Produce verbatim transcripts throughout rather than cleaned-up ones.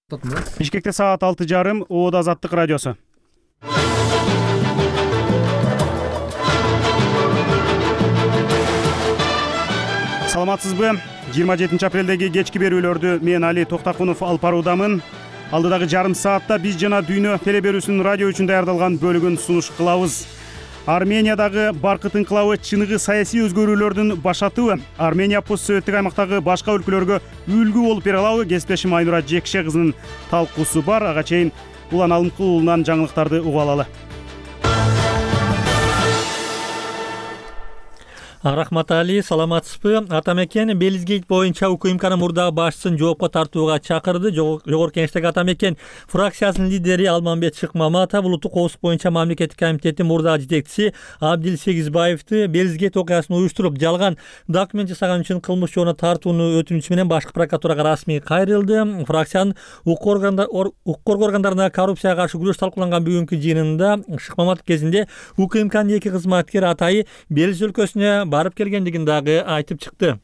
Бишкекте саат алты жарым, Оода Азаттык радиосу. Саламатсызбы? жыйырма жетинчи апрелдеги кечки берүүлөрдү мен Али Токтакунов алып баруудамын. Алдыдагы жарым саатта биз жана дүйнө теле берүүсүнүн радио үчүн даярдалган бөлүгүн сунуш кылабыз. Армениядагы баркыт инкылабы чыныгы саясий өзгөрүүлөрдүн башатыбы? Армения постсоветтик аймактагы башка өлкөлөргө үлгү болуп бере алабы? Кесиптешим Айнура Жекше кызынын талкуусу бар. Ага чейин Улан Алымкул уулунан жаңылыктарды угуп алалы. Рахмат Али, саламатсызбы? Атамекен Белизгейт боюнча УКМКнын мурдагы башчысын жоопко тартууга чакырды. Жогорку Кеңештеги Атамекен фракциясынын лидери Алмамбет Шыкмаматов улуттук коопсуздук боюнча мамлекеттик комитеттин мурдагы жетекчиси Абдил Сегизбаевди Белизгейт окуясын уюштуруп, жалган документ жасаган үчүн кылмыш жоона тартууну өтүнүчү менен башкы прокуратурага расмий кайрылды. Фракциянын укук коргоо органдарына коррупцияга каршы күрөш талкууланган бүгүнкү жыйынында Шыкмаматов кезинде УКМКнын эки кызматкери атайы Белиз өлкөсүнө барып келгендигин дагы айтып чыкты.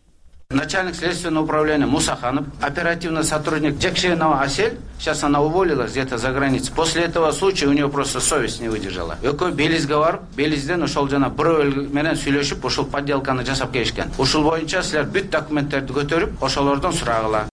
Начальник следственного управления Мусаханов, оперативный сотрудник Джекшенова Асель, сейчас она уволилась где-то за границей. После этого случая у нее просто совесть не выдержала. Экой Белизге барып, Белизден ошол жана бирөө менен сүйлөшүп, ошол подделканы жасап келишкен. Ушул боюнча силер бүт документтерди көтөрүп, ошолордон сурагыла.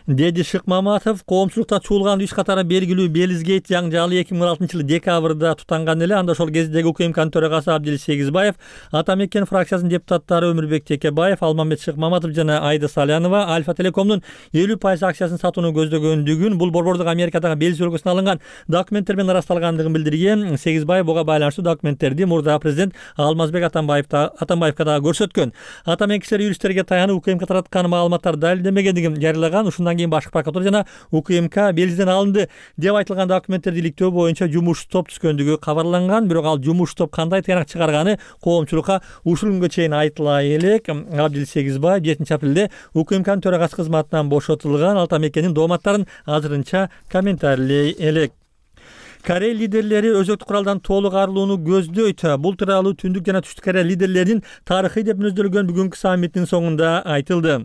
Деди Шыкмаматов коомчулукта чуулган иш катары белгилүү Белизгейт жаңжалы эки миң он алтынчы жылы декабрда тутанган эле. Анда ошол кездеги УКМКнын төрагасы Абдил Сегизбаев, Атамекен фракциясынын депутаттары Өмүрбек Текебаев, Алмамбет Шыкмаматов жана Айда Салянова Альфа Телекомдун элүү пайыз акциясын сатууну көздөгөндүгүн, бул борбордук Америкадагы Белиз өлкөсүнөн алынган документтер менен ырасталгандыгын билдирген. Сегизбаев буга байланыштуу документтерди мурда президент Алмазбек Атамбаевга дагы көрсөткөн. Атамекенчилер юристтерге таянып УКМК тараткан маалыматтар далилденбегендигин жарыялаган. Ушундан кийин башкы прокуратура жана УКМК Белизден алынды деп айтылган документтерди иликтөө боюнча жумуш топ түзгөндүгү кабарланган. Бирок ал жумуш топ кандай тыянак чыгарганы коомчулукка ушул күнгө чейин айтыла элек. Абдил Сегизбаев жетинчи апрелде УКМКнын төрагасы кызматынан бошотулган. Атамекенин дооматтарын азырынча комментарийлей элек. Корей лидерлери өзөктүк куралдан толук арылууну көздөйт. Бул тууралуу Түндүк жана Түштүк Корея лидерлеринин тарыхый деп мүнөздөлгөн бүгүнкү саммиттин соңунда айтылды.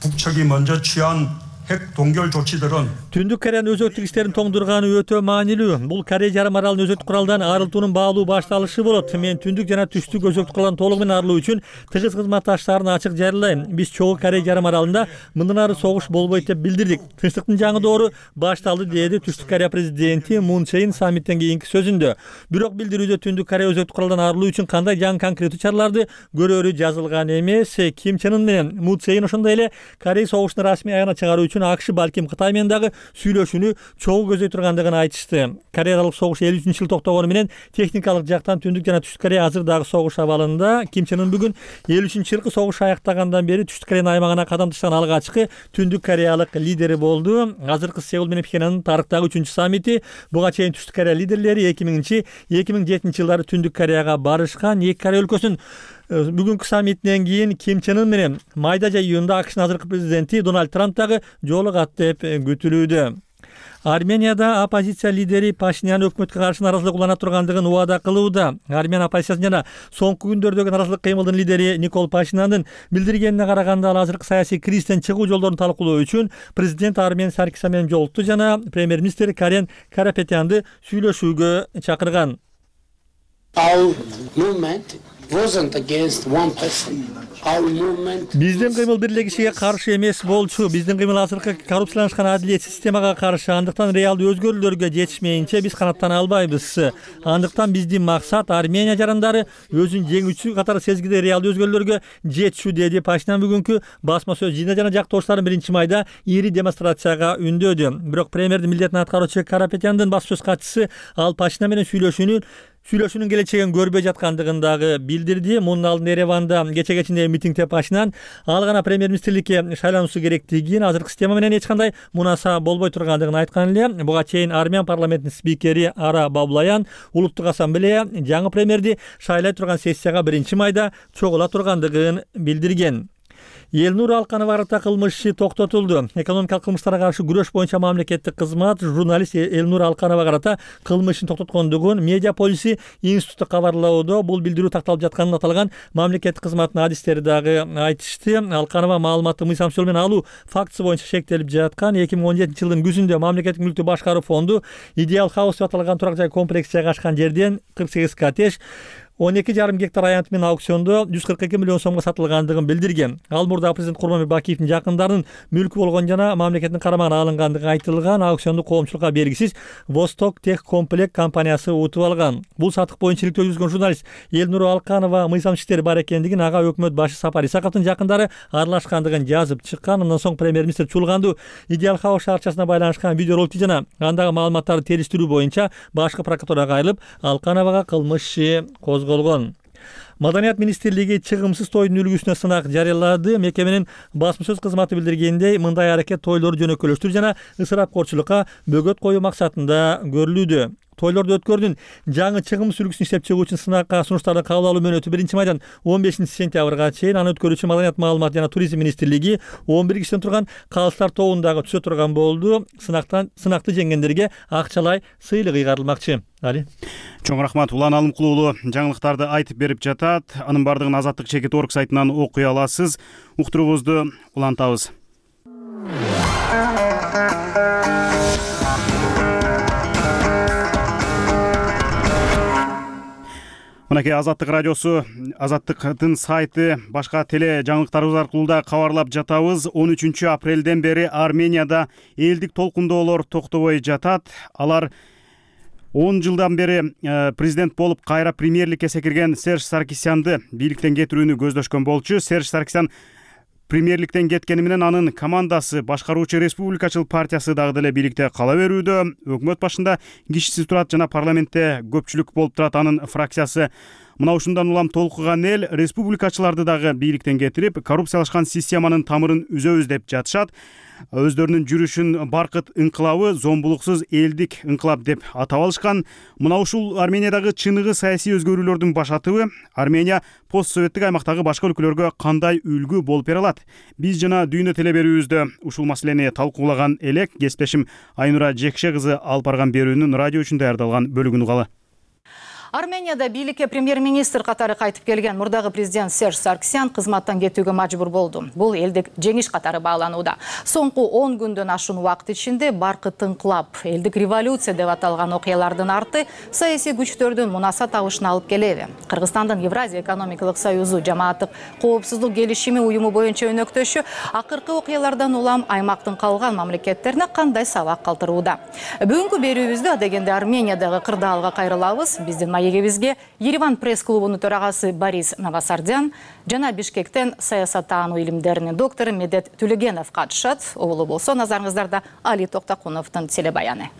북측이 먼저 취한 핵 동결 조치들은 Түндүк Кореянын өзөктүк иштерин тоңдурганы өтө маанилүү. Бул Корей жарым аралынын өзөктүк куралдан арылтуунун баалуу башталышы болот. Мен Түндүк жана Түштүк өзөктүк куралдан толугу менен арылуу үчүн тыгыз кызматташтарын ачык жарыялайм. Биз чогуу Корей жарым аралында мындан ары согуш болбойт деп билдирдик. Тынчтыктын жаңы доору башталды, деди Түштүк Корея президенти Мун Чжэ Ин саммиттен кийинки сөзүндө. Бирок билдирүүдө Түндүк Корея өзөктүк куралдан арылуу үчүн кандай жаңы конкреттүү чараларды көрөрү жазылган эмес. Ким Чен Ын менен Мун Чжэ Ин ошондой эле Корей согушун расмий аягына чыгаруу үчүн АКШ балким Кытай менен дагы сүйлөшүүнү чогуу көздөй тургандыгын айтышты. Кореялык согуш элүү үчүнчү жылы токтогону менен техникалык жактан Түндүк жана Түштүк Корея азыр дагы согуш абалында. Ким Чен Ын бүгүн элүү үчүнчү жылкы согуш аяктагандан бери Түштүк Кореянын аймагына кадам ташлаган алгачкы Түндүк Кореялык лидери болду. Азыркы Сеул менен Пхеньяндын тарыхтагы үчүнчү саммити. Буга чейин Түштүк Корея лидерлери эки миңинчи эки миң жетинчи жылдары Түндүк Кореяга барышкан. Эки Корея өлкөсүнүн бүгүнкү саммитинен кийин Ким Чен Ын менен майда жай июнда АКШнын азыркы президенти Дональд Трамп дагы жолугат деп күтүлүүдө. Арменияда оппозиция лидери Пашинян өкмөткө каршы наразылык улана тургандыгын убада кылууда. Армения оппозициясынын жана соңку күндөрдөгү наразылык кыймылдын лидери Никол Пашиняндын билдиргенине караганда, ал азыркы саясий кризистен чыгуу жолдорун талкуулоо үчүн президент Армен Саркисян менен жолукту жана премьер-министр Карен Карапетянды сүйлөшүүгө чакырган. Our movement wasn't against one person. Our movement Биздин кыймыл бир эле кишиге каршы эмес болчу. Биздин кыймыл азыркы коррупцияланышкан адилетсиз системага каршы. Андыктан реалдуу өзгөрүүлөргө жетишмейинче биз канаттана албайбыз. Андыктан биздин максат Армения жарандары өзүн жеңүүчү катары сезгиде реалдуу өзгөрүүлөргө жетишүү, деди Пашинян бүгүнкү басма сөз жыйында жана жактоошторун биринчи майда ири демонстрацияга үндөдү. Бирок премьердин милдетин аткаруучу Карапетяндын басма сөз катчысы ал Пашинян менен сүйлөшүүнү Сүйлөшүүнүн келечегин көрбөй жаткандыгын дагы билдирди. Мунун алдында Ереванда кече кечинде митингде Пашинян ал гана премьер-министрликке шайлануусу керектигин, азыркы система менен эч кандай мунаса болбой тургандыгын айткан эле. Буга чейин Армян парламентинин спикери Ара Баблаян улуттук ассамблея жаңы премьерди шайлай турган сессияга биринчи майда чогула тургандыгын билдирген. Элнур Алканова карата кылмыш иши токтотулду. Экономикалык кылмыштарга каршы күрөш боюнча мамлекеттик кызмат журналист Элнур Алканова карата кылмыш ишин токтоткондугун Медиа полиси институту кабарлоодо. Бул билдирүү такталып жатканын аталган мамлекеттик кызматтын адистери дагы айтышты. Алканова маалыматты мыйзам менен алуу фактысы боюнча шектелип жаткан. эки миң он жетинчи жылдын күзүндө мамлекеттик мүлктү башкаруу фонду Идеал Хаус деп аталган турак жай комплекси жайгашкан жерден кырк сегиз коттедж он эки жарым гектар аянт менен аукциондо жүз кырк эки миллион сомго сатылгандыгын билдирген. Ал мурдагы президент Курманбек Бакиевдин жакындарынын мүлкү болгон жана мамлекеттин карамагына алынгандыгы айтылган. Аукционду коомчулукка белгисиз Восток Тех Комплект компаниясы утуп алган. Бул сатык боюнча иликтөө жүргүзгөн журналист Элнур Алканова мыйзам иштери бар экендигин ага өкмөт башы Сапар Исаковдун жакындары аралашкандыгын жазып чыккан. Андан соң премьер-министр Чулганду Идеал Хаус шаарчасына байланышкан видеороликти жана андагы маалыматтарды териштирүү боюнча башкы прокуратурага айрылып, Алкановага кылмыш иши козголгон. Маданият министрлиги чыгымсыз тойдун үлгүсүнө сынак жарыялады. Мекеменин басма сөз кызматы билдиргендей, мындай аракет тойлорду жөнөкөлөштүрүү жана ысырапкорчулукка бөгөт коюу максатында көрүлүүдө. Тойлорду өткөрдүн жаңы чыгымсыз үлгүсүн иштеп чыгуу үчүн сынакка сунуштарды кабыл алуу мөөнөтү биринчи майдан он бешинчи сентябрга чейин. Аны өткөрүүчү Маданият маалымат жана туризм министрлиги он бир кишиден турган калыстар тобундагы түзө турган болду. Сынактан сынакты жеңгендерге акчалай сыйлык ыйгарылмакчы. Али. Чоң рахмат. Улан Алымкул уулу жаңылыктарды айтып берип жатат. Анын бардыгын Азаттык чекит орг сайтынан окуй аласыз. Уктуруубузду улантабыз. Мынакей Азаттык радиосу, Азаттыктын сайты, башка теле жаңылыктарыбыз аркылуу да кабарлап жатабыз. он үчүнчү апрелден бери Арменияда элдик толкундоолор токтобой жатат. Алар он жылдан бери президент болуп кайра премьерликке секирген Серж Саркисянды бийликтен кетирүүнү көздөшкөн болчу. Серж Саркисян премьерликтен кеткени менен анын командасы башкаруучу Республикачыл партиясы дагы деле бийликте кала берүүдө. Өкмөт башында кишисиз турат жана парламентте көпчүлүк болуп турат анын фракциясы. Мына ушундан улам толкуган эл республикачыларды дагы бийликтен кетирип, коррупциялашкан системанын тамырын үзөбүз деп жатышат. Өздөрүнүн жүрүшүн Баркыт ыңкылабы, зомбулуксуз элдик ыңкылап деп атап алышкан. Мына ушул Армениядагы чыныгы саясий өзгөрүүлөрдүн башатыбы. Армения постсоветтик аймактагы башка өлкөлөргө кандай үлгү болуп бере алат? Биз жана Дүйнө телеберүүбүздө ушул маселени талкуулаган элек. Кесиптешим Айнура Жекше кызы алып барган берүүнүн радио үчүн даярдалган бөлүгүн угалы. Арменияда бийликке премьер-министр катары кайтып келген мурдагы президент Серж Саркисян кызматтан кетүүгө мажбур болду. Бул элдик жеңиш катары бааланууда. Соңку он күндөн ашуун убакыт ичинде Баркыт ыңкылап, элдик революция деп аталган окуялардын арты саясий күчтөрдүн мунаса табышына алып келеби? Кыргызстандын Евразия экономикалык союзу жамааттык коопсуздук келишими уюму боюнча өнөктөшү акыркы окуялардан улам аймактын калган мамлекеттерине кандай сабак калтырууда? Бүгүнкү берүүбүздө адегенде Армениядагы кырдаалга кайрылабыз. Биздин маегибизге Ереван пресс-клубунун төрагасы Борис Новосардян жана Бишкектен саясаттануу илимдеринин доктору Медет Түлөгенов катышат. Обулу болсо назарыңыздарда Али Токтакуновдун телебаяны.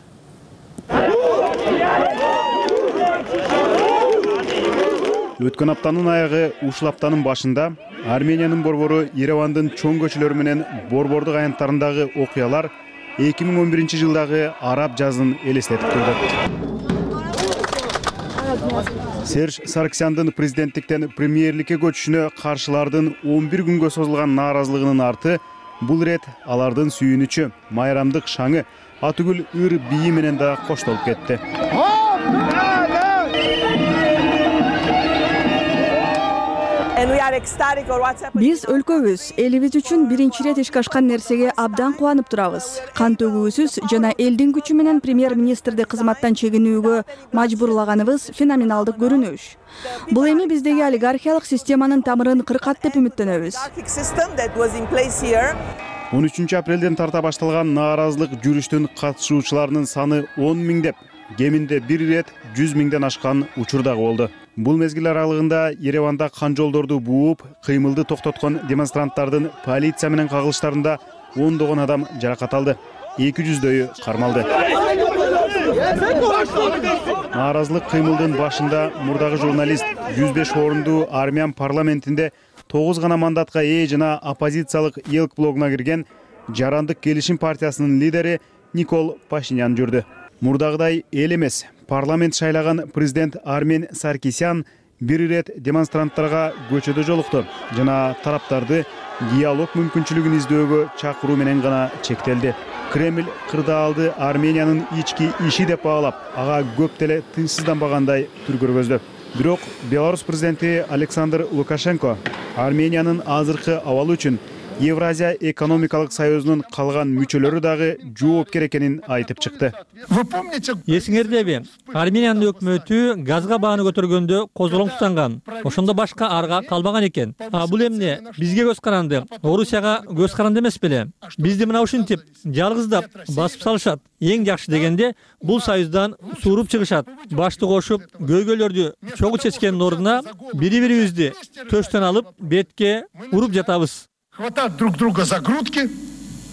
Өткөн аптанын аягы ушул аптанын башында Армениянын борбору Еревандын чоң көчөлөрү менен борбордук аянттарындагы окуялар эки миң он биринчи жылдагы араб жазын элестетип турду. Серж Саркисяндын президенттиктен премьерликке көчүшүнө каршылардын он бир күнгө созулган нааразылыгынын арты бул ирет алардын сүйүнүчү, майрамдык шаңы, атүгүл ыр бийи менен да коштолуп кетти. Биз өлкөбүз, элибиз үчүн биринчи ирет ишке ашкан нерсеге абдан кубанып турабыз. Кан төгүүсүз жана элдин күчү менен премьер-министрди кызматтан чегинүүгө мажбурлаганыбыз феноменалдык көрүнүш. Бул эми биздеги олигархиялык системанын тамырын кыркат деп үмүттөнөбүз. он үчүнчү апрелден тарта башталган нааразылык жүрүштүн катышуучуларынын саны он миңдеп, кеминде бир ирет жүз миңден ашкан учур дагы болду. Бул мезгил аралыгында Ереванда кан жолдорду бууп, кыймылды токтоткон демонстранттардын полиция менен кагылыштарында ондогон адам жаракат алды. эки жүздөйү кармалды. Нааразылык кыймылдын башында мурдагы журналист жүз беш орунду армян парламентинде тогуз гана мандатка ээ жана оппозициялык Елк блогуна кирген Жарандык келишим партиясынын лидери Никол Пашинян жүрдү. Мурдагыдай эл эмес, парламент шайлаган президент Армен Саркисян бир ирет демонстранттарга көчөдө жолукту жана тараптарды диалог мүмкүнчүлүгүн издөөгө чакыруу менен гана чектелди. Кремль кырдаалды Армениянын ички иши деп баалап, ага көп деле тынчсызданбагандай түр көргөздү. Бирок Беларусь президенти Александр Лукашенко Армениянын азыркы абалы үчүн Евразия экономикалык союзунун калган мүчөлөрү дагы жоопкер экенин айтып чыкты. Эсиңердеби, Армениянын өкмөтү газга бааны көтөргөндө козголоң тутанган. Ошондо башка арга калбаган экен. А бул эмне? Бизге көз каранды, Орусияга көз каранды эмес беле? Бизди мына ушинтип жалгыздап басып салышат. Эң жакшы дегенде бул союздан сууруп чыгышат. Башты кошуп, көйгөйлөрдү чогуу чечкендин ордуна бири-бирибизди төштөн алып, бетке уруп жатабыз. Хватать друг друга за грудки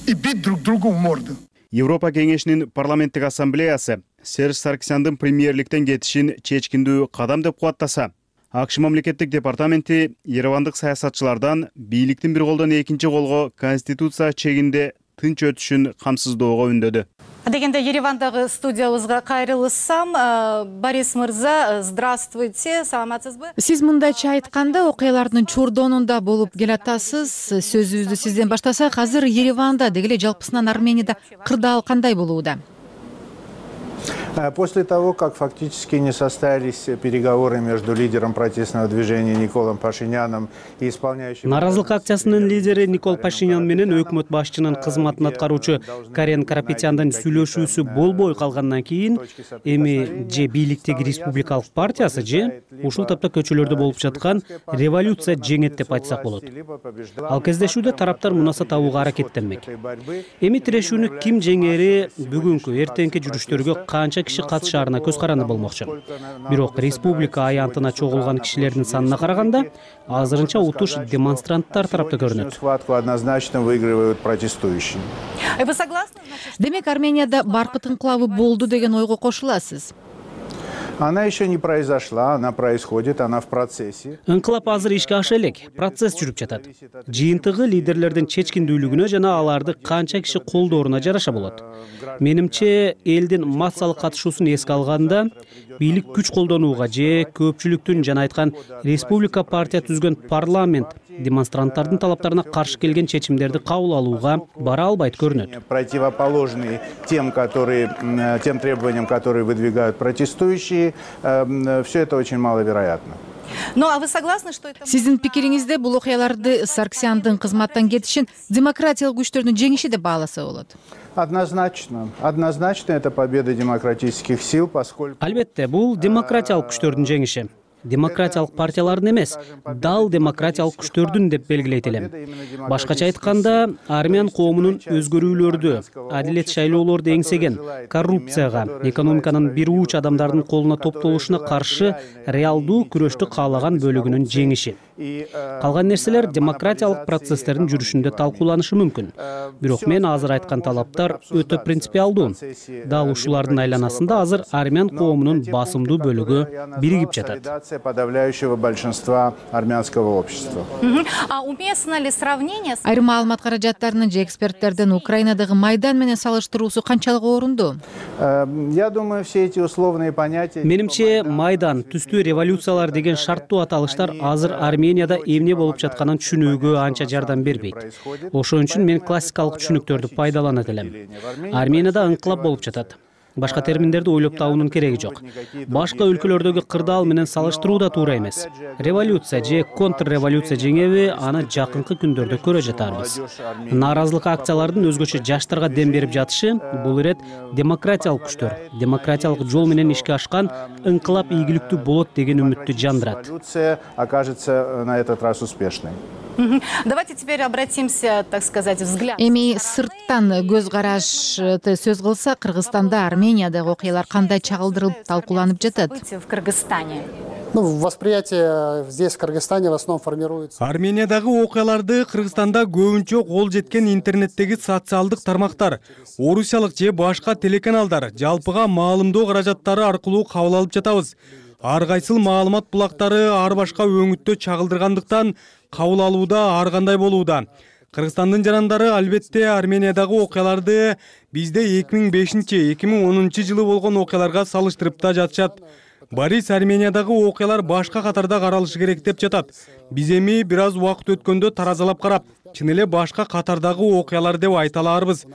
и бить друг другу в морду. Европа кеңешинин парламенттик ассамблеясы Серж Саркисяндын премьерликтен кетишин чечкиндүү кадам деп кубаттаса, АКШ мамлекеттик департаменти еревандык саясатчылардан бийликтин бир колдон экинчи колго конституция чегинде тынч өтүшүн камсыздоого үндөдү. Дегенде Еревандагы студиябызга кайрылышсам, Борис мырза, здравствуйте, саламатсызбы? Сиз мындайча айтканда, окуялардын чордонунда болуп келатасыз. Сөзүбүздү сизден баштасак, азыр Ереванда деги эле жалпысынан Арменияда кырдаал кандай болууда? После того, как фактически не состоялись переговоры между лидером протестного движения Николом Пашиняном и исполняющим... Наразылык акциясынын лидери Никол Пашинян менен өкмөт башчынын кызматын аткаруучу Карен Карапетяндын сүйлөшүүсү болбой калгандан кийин, эми же бийликтеги республикалык партиясы же ушул тапта көчөлөрдө болуп жаткан революция жеңет деп айтсак болот. Ал кездешүүдө тараптар мунаса табууга аракеттенмек. Эми тирешүүнү ким жеңери бүгүнкү эртеңки жүрүштөргө канча киши катышаарына көз каранды болмокчу. Бирок республика аянтына чогулган кишилердин санына караганда, азырынча утуш демонстранттар тарапта көрүнөт. Схватку однозначно выигрывают протестующие. Вы согласны? Демек, Арменияда баркыт инкылабы болду деген ойго кошуласыз? Она еще не произошла, она происходит, она в процессе. Инкылап азыр ишке аша элек, процесс жүрүп жатат. Жыйынтыгы лидерлердин чечкиндүүлүгүнө жана аларды канча киши колдооруна жараша болот. Менимче, элдин массалык катышуусун эске алганда, бийлик күч колдонууга же көпчүлүктүн жана айткан республика партия түзгөн парламент демонстранттардын талаптарына каршы келген чечимдерди кабыл алууга бара албайт көрүнөт. Противоположные тем, которые, тем требованиям, которые выдвигают протестующие, все это очень маловероятно. Ну, а вы согласны, что это... Сиздин пикириңизде бул окуяларды Саркисяндын кызматтан кетишин демократиялык күчтөрдүн жеңиши деп бааласа болот? Однозначно. Однозначно это победа демократических сил, поскольку... Албетте, бул демократиялык күчтөрдүн жеңиши. Демократиялык партиялардын эмес, дал демократиялык күчтөрдүн деп белгилейт элем. Башкача айтканда, армян коомунун өзгөрүүлөрдү, адилет шайлоолорду эңсеген, коррупцияга, экономиканын бир уч адамдардын колуна топтолушуна каршы реалдуу күрөштү каалаган бөлүгүнүн жеңиши. Калган нерселер демократиялык процесстердин жүрүшүндө талкууланышы мүмкүн. Бирок мен азыр айткан талаптар өтө принципиалдуу. Дал ушулардын айланасында азыр армян коомунун басымдуу бөлүгү биригип жатат. Подавляющего большинства армянского общества. А уместно ли сравнение? Айрым маалымат каражаттарынын же эксперттердин Украинадагы Майдан менен салыштыруусу канчалык орунду? Я думаю, все эти условные понятия... Менимче, Майдан, түстүү революциялар деген шарттуу аталыштар азыр Арменияда эмне болуп жатканын түшүнүүгө анча жардам бербейт. Ошон үчүн мен классикалык түшүнүктөрдү пайдаланат элем. Арменияда инкылап болуп жатат. Башка терминдерди ойлоп табуунун кереги жок. Башка өлкөлөрдөгү кырдаал менен салыштыруу да туура эмес. Революция же контрреволюция жеңеби, аны жакынкы күндөрдө көрө жатарбыз. Нааразылык акциялардын өзгөчө жаштарга дем берип жатышы бул ирет демократиялык күчтөр, демократиялык жол менен ишке ашкан инкылап ийгиликтүү болот деген үмүттү жандырат. Революция окажется на этот раз успешной. Давайте теперь обратимся, так сказать, взгляд. Эми сырттан көз карашты сөз кылса, Кыргызстанда, Армениядагы окуялар кандай чагылдырылып талкууланып жатат? В Кыргызстане. Ну, восприятие здесь, в Кыргызстане, в основном формируется. Армениядагы окуяларды Кыргызстанда көбүнчө кол жеткен интернеттеги социалдык тармактар, орусиялык же башка телеканалдар, жалпыга маалымдоо каражаттары аркылуу кабыл алып жатабыз. Ар кайсыл маалымат булактары ар башка өңүттө чагылдыргандыктан кабыл алууда ар кандай болууда. Кыргызстандын жарандары албетте Армениядагы окуяларды бизде эки миң бешинчи эки миң онунчу жылы болгон окуяларга салыштырып да жатышат. Борис Армениядагы окуялар башка катарда каралышы керек деп жатат. Биз эми бир аз убакыт өткөндө таразалап карап, чын эле башка катардагы окуялар деп айта аларбыз.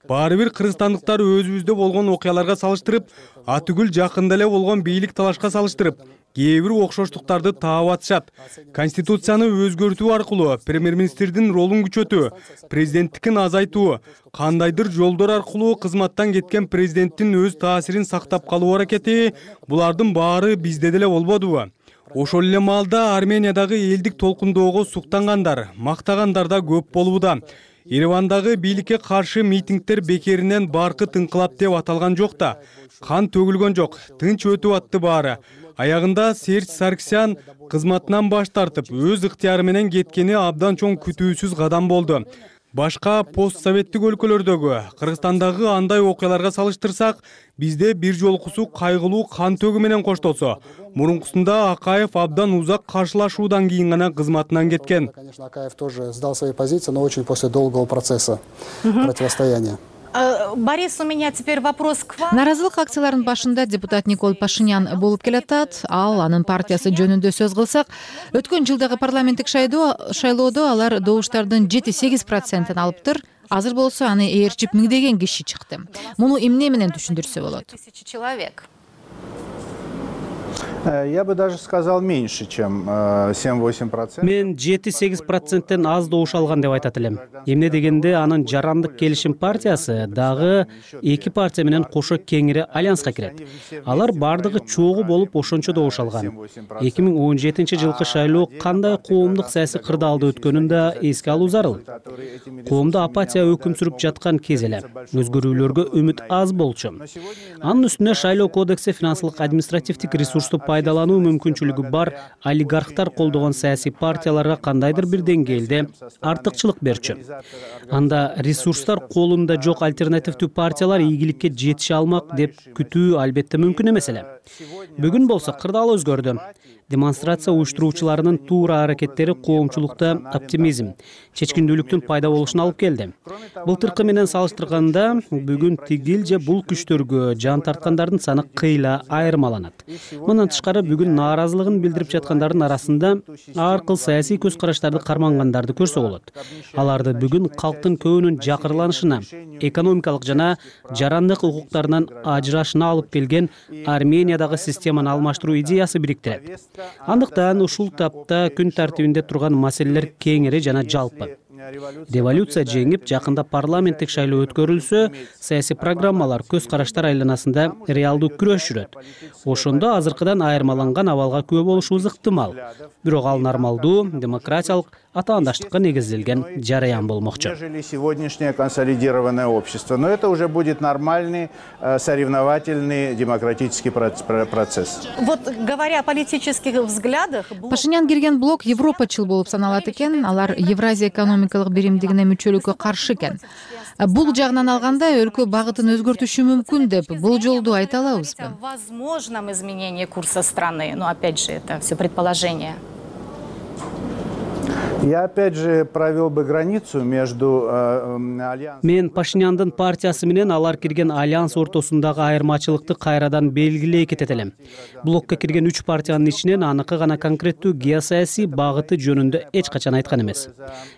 Баары бир кыргызстандыктар өзүбүздө болгон окуяларга салыштырып, атүгүл жакында эле болгон бийлик талашка салыштырып, кээ бир окшоштуктарды таап атышат. Конституцияны өзгөртүү аркылуу премьер-министрдин ролун күчөтүү, президенттикин азайтуу, кандайдыр жолдор аркылуу кызматтан кеткен президенттин өз таасирин сактап калуу аракети, булардын баары бизде деле болбодубу? Ошол эле маалда Армениядагы элдик толкундоого суктангандар, мактагандар да көп болууда. Еревандагы бийликке каршы митингдер бекеринен баркыт инкылап деп аталган жок да. Кан төгүлгөн жок, тынч өтүп атты баары. Аягында Серж Сарксян кызматынан баш тартып, өз ыктыяры менен кеткени абдан чоң күтүүсүз кадам болду. Башка постсоветтик өлкөлөрдөгү, Кыргызстандагы андай окуяларга салыштырсак, бизде бир жолкусу кайгылуу кан төгүү менен коштолсо, мурункусунда Акаев абдан узак каршылашуудан кийин гана кызматынан кеткен. Конечно, Акаев тоже сдал свои позиции, но очень после долгого процесса противостояния. Борис, у меня теперь вопрос к вам. Наразылык акцияларынын башында депутат Никол Пашинян болуп келатат. Ал анын партиясы жөнүндө сөз кылсак, өткөн жылдагы парламенттик шайлоодо алар добуштардын жети-сегиз процентин алыптыр. Азыр болсо аны ээрчип миңдеген киши чыкты. Муну эмне менен түшүндүрсө болот? Тысячи человек. Я бы даже сказал меньше, чем семь-восемь процентов. Мен жети-сегиз проценттен аз добуш алган деп айтат элем. Эмне дегенде анын Жарандык келишим партиясы дагы эки партия менен кошо кеңири альянска кирет. Алар бардыгы чогуу болуп ошончо добуш алган. эки миң он жетинчи жылкы шайлоо кандай коомдук саясий кырдаалда өткөнүн да эске алуу зарыл. Коомдо апатия өкүм сүрүп жаткан кез эле. Өзгөрүүлөргө үмүт аз болчу. Анын үстүнө шайлоо кодекси финансылык административдик ресурсту пайдалануу мүмкүнчүлүгү бар олигархтар колдогон саясий партияларга кандайдыр бир деңгээлде артыкчылык берчү. Анда ресурстар колунда жок альтернативдүү партиялар ийгиликке жетише алмак деп күтүү албетте мүмкүн эмес эле. Бүгүн болсо кырдаал өзгөрдү. Демонстрация уюштуруучуларынын туура аракеттери коомчулукта оптимизм, чечкиндүүлүктүн пайда болушуна алып келди. Былтыркы менен салыштырганда бүгүн тигил же бул күчтөргө жан тарткандардын саны кыйла айырмаланат. Мындан тышкары бүгүн нааразылыгын билдирип жаткандардын арасында ар кыл саясий көз караштарды кармангандарды көрсө болот. Аларды бүгүн калктын көбүнүн жакырланышына, экономикалык жана жарандык укуктарынан ажырашына алып келген Армениядагы системаны алмаштыруу идеясы бириктирет. Андыктан ушул тапта күн тартибинде турган маселелер кеңири жана жалпы. Революция жеңип, жакында парламенттик шайлоо өткөрүлсө, саясий программалар, көз караштар айланасында реалдуу күрөш жүрөт. Ошондо азыркыдан айырмаланган абалга күбө болушубуз ыктымал. Бирок ал нормалдуу, демократиялык, атаандаштыкка негизделген жараян болмокчу. Нежели сегодняшнее консолидированное общество. Но это уже будет нормальный, соревновательный демократический процесс. Вот говоря о политических взглядах... Пашинян кирген блок европачыл болуп саналат экен, алар Евразия экономикалык биримдигине мүчөлүккө каршы экен. Бул жагынан алганда өлкө багытын өзгөртүшү мүмкүн деп бул жолду айта алабызбы? Возможном изменении курса страны, но опять же это все предположение. Я опять же провел бы границу между альянсом. Мен Пашиняндын партиясы менен алар кирген альянс ортосундагы айырмачылыкты кайрадан белгилей кетет элем. Блокко кирген үч партиянын ичинен аныкы гана конкреттүү геосаясий багыты жөнүндө эч качан айткан эмес.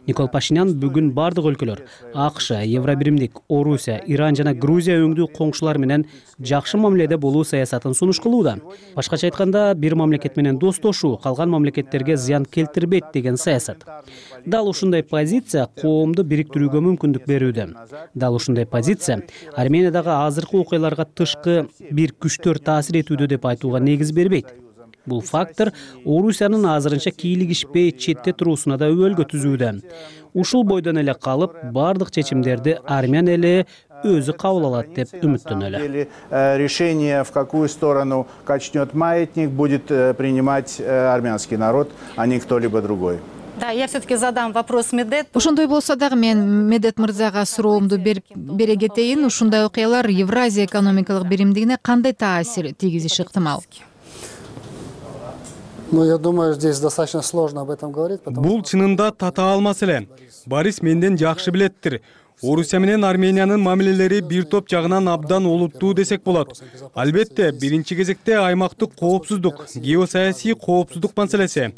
Никол Пашинян бүгүн бардык өлкөлөр, АКШ, Евробиримдик, Орусия, Иран жана Грузия өңдүү коңшулар менен жакшы мамиледе болуу саясатын сунуш кылууда. Башкача айтканда, бир мамлекет менен достошуу, калган мамлекеттерге зыян келтирбейт деген саясат. Дал ушундай позиция коомду бириктирүүгө мүмкүндүк берүүдө. Дал ушундай позиция Армениядагы азыркы окуяларга тышкы бир күчтөр таасир этүүдө деп айтууга негиз бербейт. Бул фактор Орусиянын азырынча кийлигишпей четте туруусуна да өбөлгө түзүүдө. Ушул бойдон эле калып, бардык чечимдерди армян эли өзү кабыл алат деп үмүттөнөлү. Решение, в какую сторону качнет маятник, будет принимать армянский народ, а не кто-либо другой. Да, я все-таки задам вопрос Медет. Ошондой болсо дагы мен Медет мырзага суроомду бере кетейин. Ушундай окуялар Евразия экономикалык биримдигине кандай таасир тийгизиши ыктымал? Ну, я думаю, здесь достаточно сложно об этом говорить. Бул чынында татаал маселе. Борис менден жакшы билеттир. Орусия менен Армениянын мамилелери бир топ жагынан абдан олуттуу десек болот. Албетте, биринчи кезекте аймактык коопсуздук, геосаясий коопсуздук маселеси.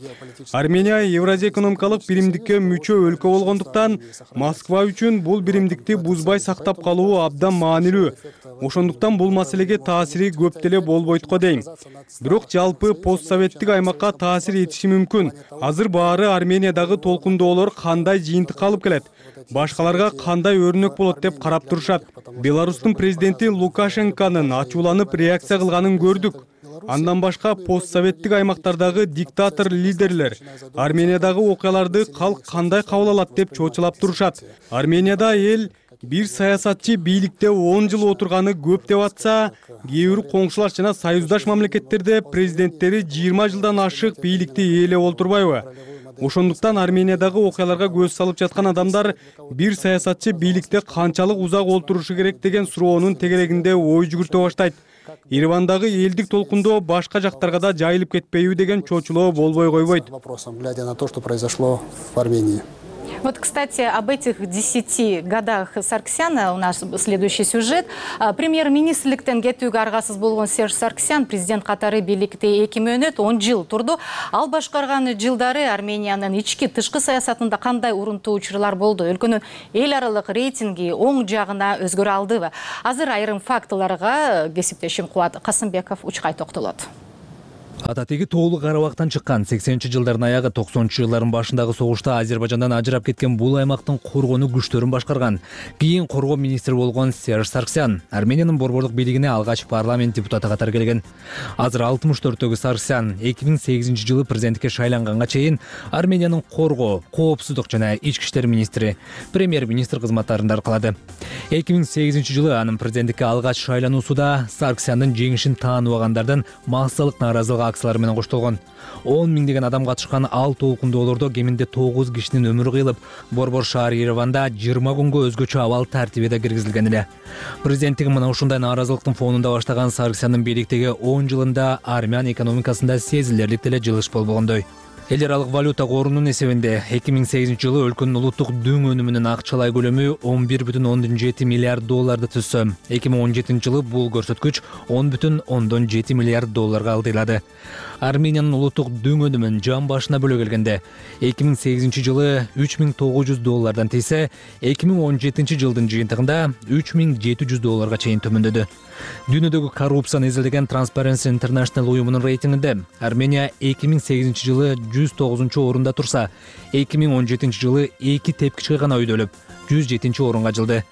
Армения Евразия экономикалык биримдикке мүчө өлкө болгондуктан Москва үчүн бул биримдикти бузбай сактап калуу абдан маанилүү. Ошондуктан бул маселеге таасири көп деле болбойт го дейм. Бирок жалпы постсоветтик аймакка таасир этиши мүмкүн. Азыр баары Армениядагы толкундоолор кандай жыйынтыкка алып келет, башкаларга кандай өрнөк болот деп карап турушат. Беларустун президенти Лукашенконун ачууланып реакция кылганын көрдүк. Андан башка постсоветтик аймактардагы диктатор лидерлер Армениядагы окуяларды калк кандай кабыл алат деп чочулап турушат. Арменияда эл бир саясатчы бийликте он жыл отурганы көп деп атса, кээ бир коңшулаш жана союздаш мамлекеттерде президенттери жыйырма жылдан ашык бийликти ээлеп олтурбайбы? Ошондуктан Армениядагы окуяларга көз салып жаткан адамдар бир саясатчы бийликте канчалык узак олтурушу керек деген суроонун тегерегинде ой жүгүртө баштайт. Еревандагы элдик толкундоо башка жактарга да жайылып кетпейби деген чочулоо болбой койбойт. Вопросом, глядя на то, что произошло в Армении. Вот, кстати, об этих десяти годах Сарксяна у нас следующий сюжет. Премьер-министрликтен кетүүгө аргасыз болгон Серж Сарксян президент катары бийликте эки мөөнөт он жыл турду. Ал башкарган жылдары Армениянын ички тышкы саясатында кандай урунтуу учурлар болду? Өлкөнүн эл аралык рейтинги оң жагына өзгөрө алдыбы? Азыр айрым фактыларга кесиптешим Кубат Касымбеков учкай токтолот. Ататеги тоолу Карабактан чыккан сексенинчи жылдардын аягы токсонунчу жылдардын башындагы согушта Азербайжандан ажырап кеткен бул аймактын коргонуу күчтөрүн башкарган. Кийин коргоо министри болгон Серж Сарксян Армениянын борборлук бийлигине алгач парламент депутаты катары келген. Азыр алтымыш төрттөгү Сарксян эки миң сегизинчи жылы президенттикке шайланганга чейин Армениянын коргоо, коопсуздук жана ички иштер министри, премьер-министр кызматтарында аркалады. эки миң сегизинчи жылы анын президенттикке алгач шайлануусуда Сарксяндын жеңишин тааныбагандардын массалык нааразылык акциялары менен коштолгон. он миңдеген адам катышкан ал толкундоолордо кеминде тогуз кишинин өмүрү кыйылып, борбор шаар Ереванда жыйырма күнгө өзгөчө абал тартибиде киргизилген эле. Президенттик мына ушундай нааразылыктын фонунда баштаган Сарксяндын бийликтеги он жылында армян экономикасында сезилерлик деле жылыш болбогондой. Эл аралык валюта корунун эсебинде эки миң сегизинчи жылы өлкөнүн улуттук дөң өнүмүнүн акчалай көлөмү он бир бүтүн ондон жети миллиард долларды түзсө, эки миң он жетинчи жылы бул көрсөткүч он бүтүн ондон жети миллиард долларга алдыйлады. Армениянын улуттук дөң өнүмүн жан башына бөлө келгенде эки миң сегизинчи жылы үч миң тогуз жүз доллардан тийсе, эки миң он жетинчи жылдын жыйынтыгында үч миң жети жүз долларга чейин төмөндөдү. Дүйнөдөгү коррупцияны изилдеген Transparency International уюмунун рейтингинде Армения эки миң сегизинчи жылы жүз тогузунчу орунда турса, эки миң он жетинчи жылы эки тепкичке гана өйдөлүп, жүз жетинчи орунга жылды.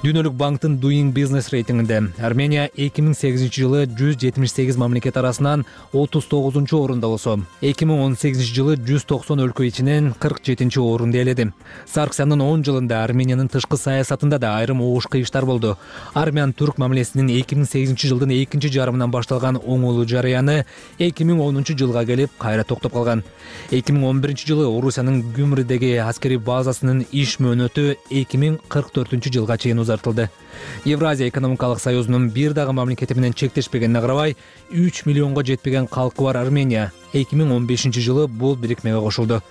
Дүйнөлүк банктын Doing Business рейтингинде Армения эки миң сегизинчи жылы жүз жетимиш сегиз мамлекет арасынан отуз тогузунчу орунда болсо, эки миң он сегизинчи жылы жүз токсон өлкө ичинен кырк жетинчи орунду ээледи. Сарксяндын он жылында Армениянын тышкы саясатында да айрым оош кыйыштар болду. Армян-түрк мамилесинин эки миң сегизинчи жылдын экинчи жарымынан башталган оңолуу жарыяны эки миң онунчу жылга келип кайра токтоп калган. эки миң он биринчи жылы Орусиянын Гюмридеги аскерий базасынын иш мөөнөтү эки миң кырк төртүнчү жылга чейин узартылды. Евразия экономикалык союзунун бир дагы мамлекети менен чектешпегенине карабай, үч миллионго жетпеген калкы бар Армения эки миң он бешинчи жылы бул бирикмеге кошулду.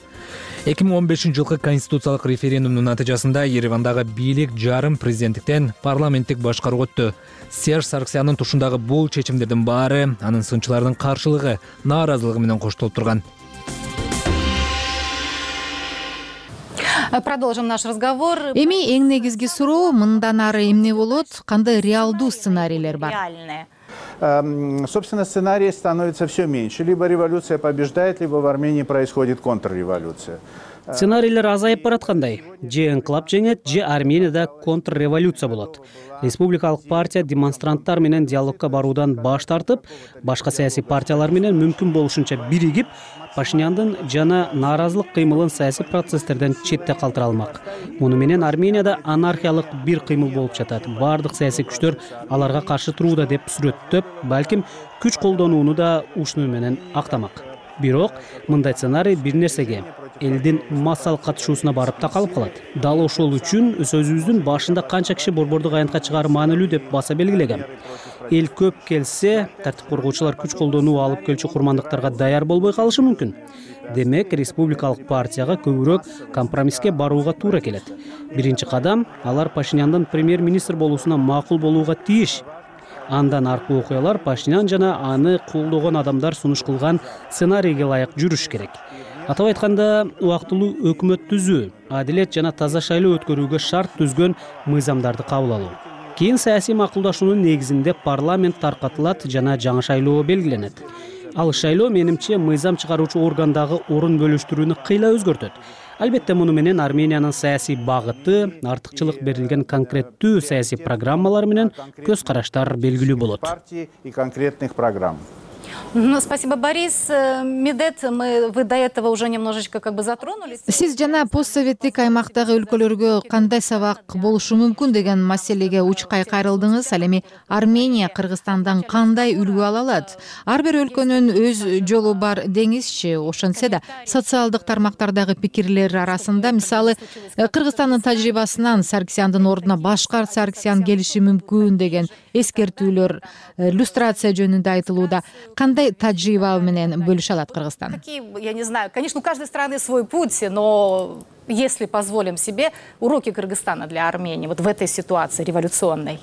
эки миң он бешинчи жылкы конституциялык референдумдун натыйжасында Еревандагы бийлик жарым президенттиктен парламенттик башкарууга өттү. Серж Сарксяндын тушундагы бул чечимдердин баары анын сынчылардын каршылыгы, нааразылыгы менен коштолуп турган. Продолжим наш разговор. Эми эң негизги суроо мындан ары эмне болот? Кандай реалдуу сценарийлер бар? Собственно, сценарий становится все меньше. Либо революция побеждает, либо в Армении происходит контрреволюция. Сценарийлер азайып бараткандай. Же инкылап жеңет, же Арменияда контрреволюция болот. Республикалык партия демонстранттар менен диалогко баруудан баш тартып, башка саясий партиялар менен мүмкүн болушунча биригип, Пашиняндын жана нааразылык кыймылын саясий процесстерден четте калтыра алмак. Муну менен Арменияда анархиялык бир кыймыл болуп жатат. Бардык саясий күчтөр аларга каршы турууда деп сүрөттөп, балким күч колдонууну да ушуну менен актамак. Бирок мындай сценарий бир нерсеге элдин массалык катышуусуна барып такалып калат. Дал ошол үчүн сөзүбүздүн башында канча киши борбордук аянтка чыгары маанилүү деп баса белгилегем. Эл көп келсе, тартип коргоочулар күч колдонуу алып келчү курмандыктарга даяр болбой калышы мүмкүн. Демек, республикалык партияга көбүрөөк компромисске барууга туура келет. Биринчи кадам алар Пашиняндын премьер-министр болуусуна макул болууга тийиш. Андан аркы окуялар Пашинян жана аны колдогон адамдар сунуш кылган сценарийге ылайык жүрүш керек. Атап айтканда, убактылуу өкмөт түзүү, адилет жана таза шайлоо өткөрүүгө шарт түзгөн мыйзамдарды кабыл алуу. Кийин саясий макулдашуунун негизинде парламент таркатылат жана жаңы шайлоо белгиленет. Ал шайлоо менимче мыйзам чыгаруучу органдагы орун бөлүштүрүүнү кыйла өзгөртөт. Албетте муну менен Армениянын саясий багыты, артыкчылык берилген конкреттүү саясий программалар менен көз караштар белгилүү болот. И конкретных программ. Спасибо, Борис. Медет, мы, вы до этого уже немножечко как бы затронулись. Сиз жана постсоветтик аймактагы өлкөлөргө кандай сабак болушу мүмкүн деген маселеге учкай кайрылдыңыз. Ал эми Армения Кыргызстандан кандай үлгү ала алат? Ар бир өлкөнүн өз жолу бар деңизчи. Ошентсе да социалдык тармактардагы пикирлер арасында, мисалы, Кыргызстандын тажрыйбасынан Саркисяндын ордуна башка Саркисян келиши мүмкүн деген эскертүүлөр, иллюстрация жөнүндө айтылууда. Кандай тажрыйба менен бөлүшө алат Кыргызстан? Какие, я не знаю, конечно, у каждой страны свой путь, но если позволим себе уроки Кыргызстана для Армении вот в этой ситуации революционной.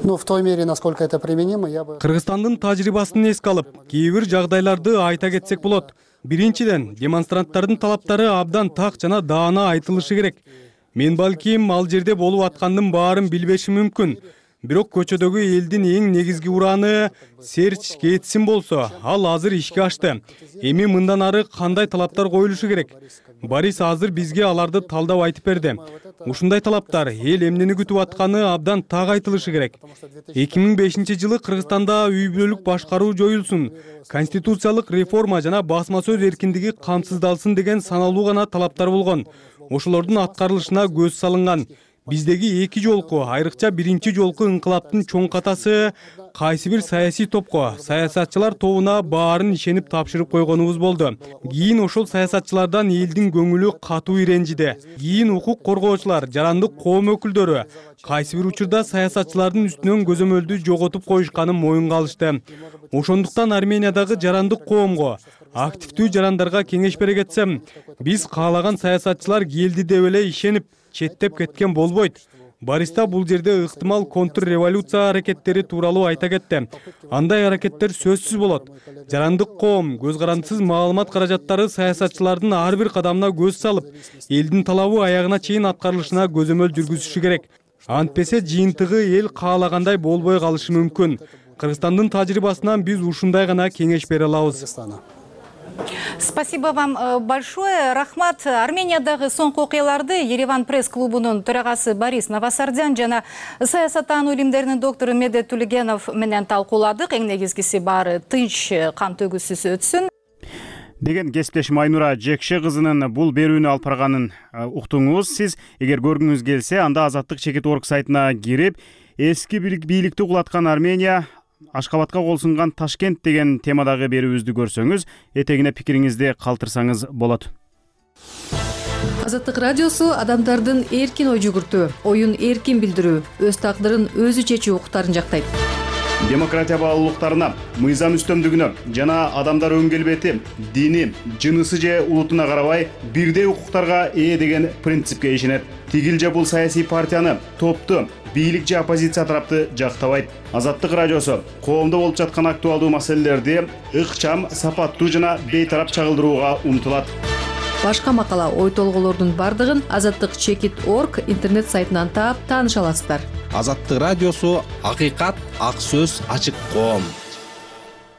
Ну, в той мере, насколько это применимо, я бы... Кыргызстандын тажрыйбасын эске алып, кээ бир жагдайларды айта кетсек болот. Биринчиден, демонстранттардын талаптары абдан так жана даана айтылышы керек. Мен балким ал жерде болуп аткандын баарын билбешим мүмкүн. Бирок көчөдөгү элдин эң негизги ураны Серч Кетсин болсо, ал азыр ишке ашты. Эми мындан ары кандай талаптар коюлушу керек? Борис азыр бизге аларды талдап айтып берди. Ушундай талаптар эл эмнени күтүп атканы абдан так айтылышы керек. эки миң бешинчи жылы Кыргызстанда үй бүлөлүк башкаруу жоюлсун, конституциялык реформа жана басма сөз эркиндиги камсыздалсын деген саналуу гана талаптар болгон. Ошолордун аткарылышына көз салынган. Биздеги эки жолку, айрыкча биринчи жолку инкылаптын чоң катасы кайсы бир саясий топко, саясатчылар тобуна баарын ишенип тапшырып койгонубуз болду. Кийин ошол саясатчылардан элдин көңүлү катуу иренжиди. Кийин укук коргоочулар, жарандык коом өкүлдөрү кайсы бир учурда саясатчылардын үстүнөн көзөмөлдү жоготуп коюшканын моюнга алышты. Ошондуктан Армениядагы жарандык коомго, активдүү жарандарга кеңеш бере кетсем, биз каалаган саясатчылар келди деп эле ишенип четтеп кеткен болбойт. Бориста бул жерде ыктымал контрреволюция аракеттери тууралуу айта кетти. Андай аракеттер сөзсүз болот. Жарандык коом көз карандысыз маалымат каражаттары саясатчылардын ар бир кадамына көз салып, элдин талабы аягына чейин аткарылышына көзөмөл жүргүзүшү керек. Антпесе жыйынтыгы эл каалагандай болбой калышы мүмкүн. Кыргызстандын тажрыйбасынан биз ушундай гана кеңеш бере алабыз. Спасибо вам большое. Рахмат. Армениядагы соңку окуяларды Ереван пресс-клубунун төрагасы Борис Новосардян жана саясаттануу илимдеринин доктору Медет Тулегенов менен талкууладык. Эң негизгиси баары тынч, кан төгүүсүз өтсүн деген кесиптешим Айнура Жекше кызынын бул берүүнү алып барганын уктуңуз. Сиз эгер көргүңүз келсе, анда Азаттык чекит орг сайтына кирип, эски бийликти кулаткан Армения, Ашкабадка кол сунган Ташкент деген темадагы берүүбүздү көрсөңүз, этегине пикириңизди калтырсаңыз болот. Азаттык радиосу адамдардын эркин ой жүгүртүү, оюн эркин билдирүү, өз тагдырын өзү чечүү укуктарын жактайт. Демократия баалуулуктарына, мыйзам үстөмдүгүнө жана адамдар өң келбети, дини, жынысы же улутуна карабай бирдей укуктарга ээ деген принципке ишенет. Тигил же бул саясий партияны, топту, бийлик же оппозиция тарапты жактабайт. Азаттык радиосу коомдо болуп жаткан актуалдуу маселелерди ыкчам, сапаттуу жана бейтарап чагылдырууга умтулат. Башка макала, ой толголордун бардыгын азаттык чекит орг интернет сайтынан таап тааныша аласыздар. Азаттык радиосу акыйкат, ак сөз, ачык коом.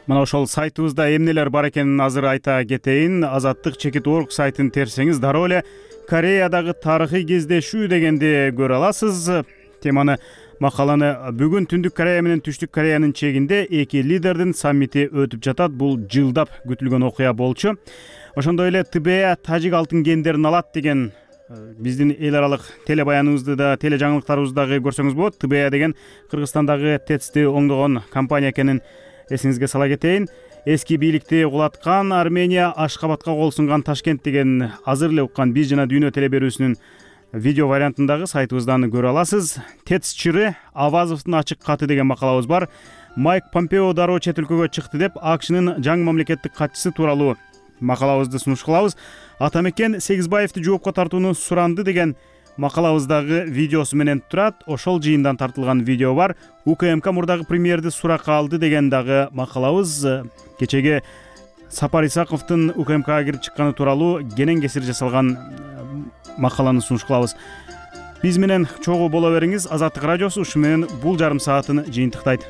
Мына ошол сайтыбызда эмнелер бар экенин азыр айта кетейин. Азаттык чекит орг сайтын терсеңиз дароо эле Кореядагы тарыхый кездешүү дегенди көрө аласыз. Теманы, макаланы бүгүн Түндүк Корея менен Түштүк Кореянын чегинде эки лидердин саммити өтүп жатат. Бул жылдап күтүлгөн окуя болчу. Ошондой эле Тэ Бэ А тажик алтын кендерин алат деген биздин эл аралык телебаяныбызды да, теле жаңылыктарыбызды дагы көрсөңүз болот. Тэ Бэ А деген Кыргызстандагы ТЭЦти оңдогон компания экенин эсиңизге сала кетейин. эски бийликти кулаткан Армения Ашкабадка кол сунган Ташкент деген азыр эле уккан Биз жана дүйнө телеберүүсүнүн видео вариантындагы сайтыбыздан көрө аласыз. Тец чыры Авазовдун ачык каты деген макалабыз бар. Майк Помпео дароо чет өлкөгө чыкты деп АКШнын жаңы мамлекеттик катчысы тууралуу макалабызды сунуш кылабыз. Атамекен Сегизбаевди жоопко тартууну суранды деген макалабыздагы видеосу менен турат. Ошол жыйындан тартылган видео бар. УКМК мурдагы премьерди суракка алды деген дагы макалабыз. Кечеге Сапар Исаковдун УКМКга кирип чыкканы тууралуу кенен кесир жасалган макаланы сунуш кылабыз. Биз менен чогуу боло бериңиз. Азаттык радиосу ушу менен бул жарым саатын жыйынтыктайт.